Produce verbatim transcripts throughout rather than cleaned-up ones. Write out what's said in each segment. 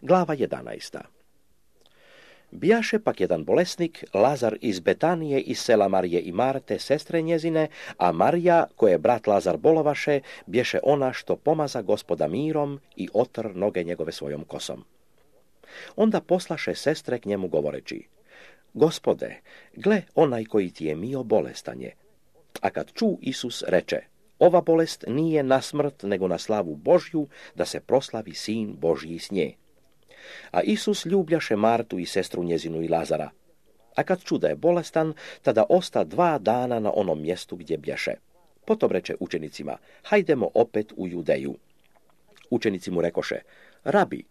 Glava jedanaesta. Bijaše pak jedan bolesnik, Lazar iz Betanije, iz sela Marije i Marte, sestre njezine, a Marija, koje brat Lazar bolovaše, bješe ona što pomaza Gospoda mirom i otr noge njegove svojom kosom. Onda poslaše sestre k njemu govoreći: Gospode, gle onaj koji ti je mio bolestan je. A kad ču Isus reče: ova bolest nije na smrt, nego na slavu Božju, da se proslavi sin Božji s nje. A Isus ljubljaše Martu i sestru njezinu i Lazara. A kad ču da je bolestan, tada osta dva dana na onom mjestu gdje bješe. Potom reče učenicima: hajdemo opet u Judeju. Učenici mu rekoše: rabi,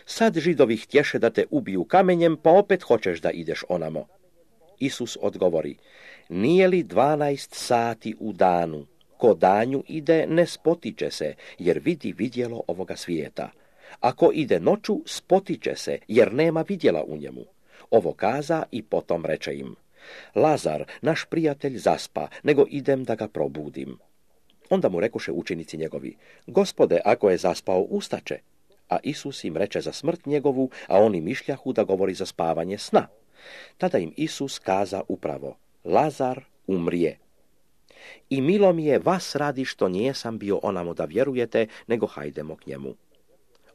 sad Židovi htješe da te ubiju kamenjem, pa opet hoćeš da ideš onamo. Isus odgovori: nije li dvanaest sati u danu? Ko danju ide, ne spotiče se, jer vidi vidjelo ovoga svijeta. Ako ide noću, spotiče se, jer nema vidjela u njemu. Ovo kaza i potom reče im: Lazar, naš prijatelj, zaspa, nego idem da ga probudim. Onda mu rekoše učenici njegovi: Gospode, ako je zaspao, ustaće. A Isus im reče za smrt njegovu, a oni mišljahu da govori za spavanje sna. Tada im Isus kaza upravo: Lazar umrije. I milo mi je vas radi što nijesam bio onamo da vjerujete, nego hajdemo k njemu.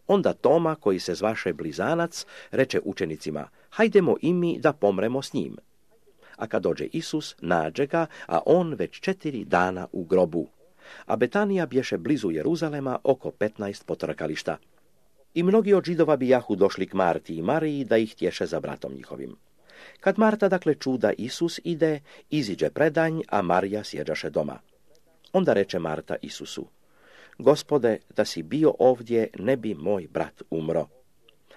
Onda Toma, koji se zvaše Blizanac, reče učenicima: hajdemo i mi da pomremo s njim. A kad dođe Isus, nađe ga, a on već četiri dana u grobu. A Betanija bješe blizu Jeruzalema, oko petnaest potrkališta. I mnogi od Židova bijahu došli k Marti i Mariji da ih tješe za bratom njihovim. Kad Marta dakle ču da Isus ide, iziđe predanj, a Marija sjeđaše doma. Onda reče Marta Isusu: Gospode, da si bio ovdje, ne bi moj brat umro.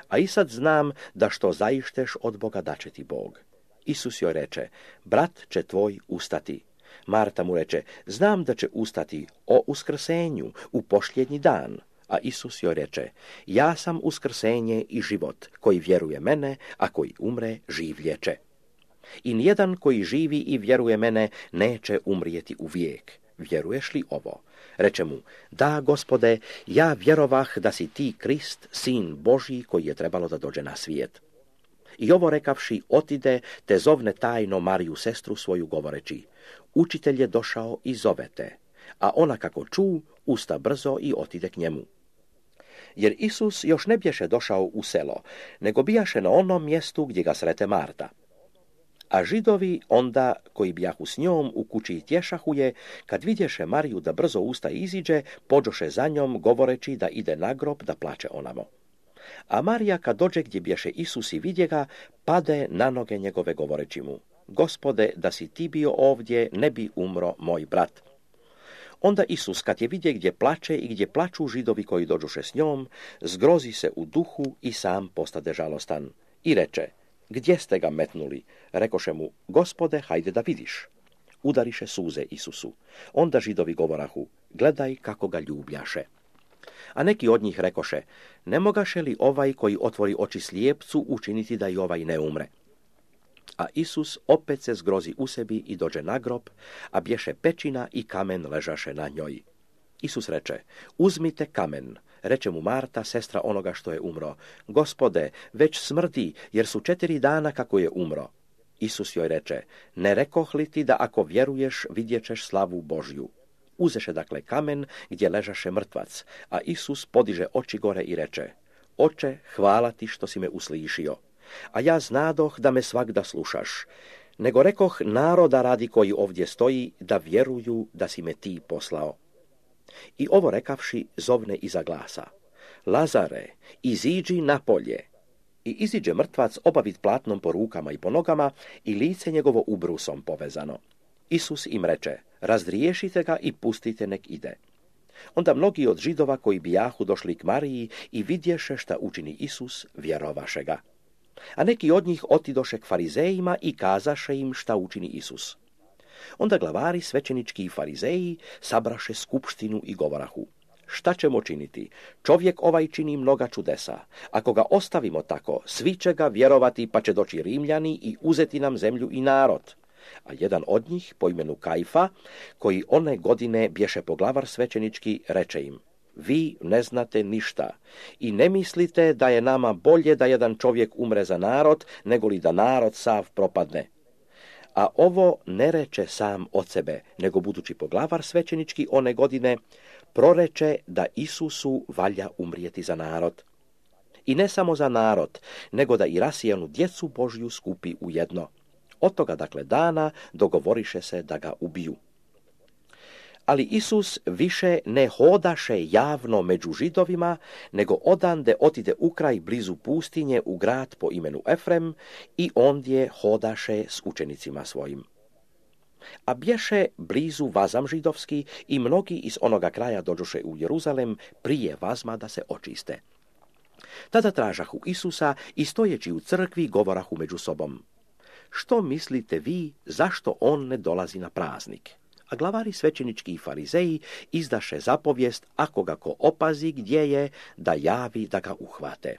A i sad znam da što zaišteš od Boga da će ti Bog. Isus joj reče: brat će tvoj ustati. Marta mu reče: znam da će ustati o uskrsenju u posljednji dan. A Isus joj reče: ja sam uskrsenje i život, koji vjeruje mene, a koji umre, življeće. I nijedan koji živi i vjeruje mene neće umrijeti uvijek. Vjeruješ li ovo? Reče mu: da, Gospode, ja vjerovah da si ti Krist, sin Božji, koji je trebalo da dođe na svijet. I ovo rekavši, otide, te zovne tajno Mariju, sestru svoju, govoreći: učitelj je došao i zove te. A ona kako ču, usta brzo i otide k njemu. Jer Isus još ne bješe došao u selo, nego bijaše na onom mjestu gdje ga srete Marta. A Židovi onda, koji bijahu s njom u kući tješahu je, kad vidješe Mariju da brzo usta iziđe, pođoše za njom, govoreći da ide na grob da plače onamo. A Marija, kad dođe gdje bješe Isus i vidje ga, pade na noge njegove, govoreći mu: Gospode, da si ti bio ovdje, ne bi umro moj brat. Onda Isus, kad je vidje gdje plače i gdje plaču Židovi koji dođuše s njom, zgrozi se u duhu i sam postade žalostan. I reče: gdje ste ga metnuli? Rekoše mu: Gospode, hajde da vidiš. Udariše suze Isusu. Onda Židovi govorahu: gledaj kako ga ljubljaše. A neki od njih rekoše: ne mogaše li ovaj koji otvori oči slijepcu učiniti da i ovaj ne umre? A Isus opet se zgrozi u sebi i dođe na grob, a bješe pećina i kamen ležaše na njoj. Isus reče: uzmite kamen. Reče mu Marta, sestra onoga što je umro: Gospode, već smrdi, jer su četiri dana kako je umro. Isus joj reče: ne rekoh li ti da ako vjeruješ vidjećeš slavu Božju? Uzeše dakle kamen gdje ležaše mrtvac, a Isus podiže oči gore i reče: Oče, hvala ti što si me uslišio. A ja znadoh da me svagda slušaš, nego rekoh naroda radi koji ovdje stoji, da vjeruju da si me ti poslao. I ovo rekavši, zovne iza glasa: Lazare, iziđi napolje. I iziđe mrtvac obavit platnom po rukama i po nogama i lice njegovo ubrusom povezano. Isus im reče: razdriješite ga i pustite nek ide. Onda mnogi od Židova koji bijahu došli k Mariji i vidješe šta učini Isus, vjerovaše ga. A neki od njih otidoše k farizejima i kazaše im šta učini Isus. Onda glavari svećenički i farizeji sabraše skupštinu i govorahu: šta ćemo činiti? Čovjek ovaj čini mnoga čudesa. Ako ga ostavimo tako, svi će ga vjerovati, pa će doći Rimljani i uzeti nam zemlju i narod. A jedan od njih, po imenu Kajfa, koji one godine bješe poglavar svećenički, reče im: vi ne znate ništa i ne mislite da je nama bolje da jedan čovjek umre za narod, nego li da narod sav propadne. A ovo ne reče sam od sebe, nego budući poglavar svećenički one godine, proreče da Isusu valja umrijeti za narod. I ne samo za narod, nego da i rasijanu djecu Božju skupi u jedno. Od toga dakle dana dogovoriše se da ga ubiju. Ali Isus više ne hodaše javno među Židovima, nego odande otide u kraj blizu pustinje u grad po imenu Efrem i ondje hodaše s učenicima svojim. A bješe blizu vazam židovski i mnogi iz onoga kraja dođoše u Jeruzalem prije vazma da se očiste. Tada tražahu Isusa i stojeći u crkvi govorahu među sobom: što mislite vi, zašto on ne dolazi na praznik? A glavari svećenički i farizeji izdaše zapovijest, ako ga ko opazi gdje je, da javi da ga uhvate.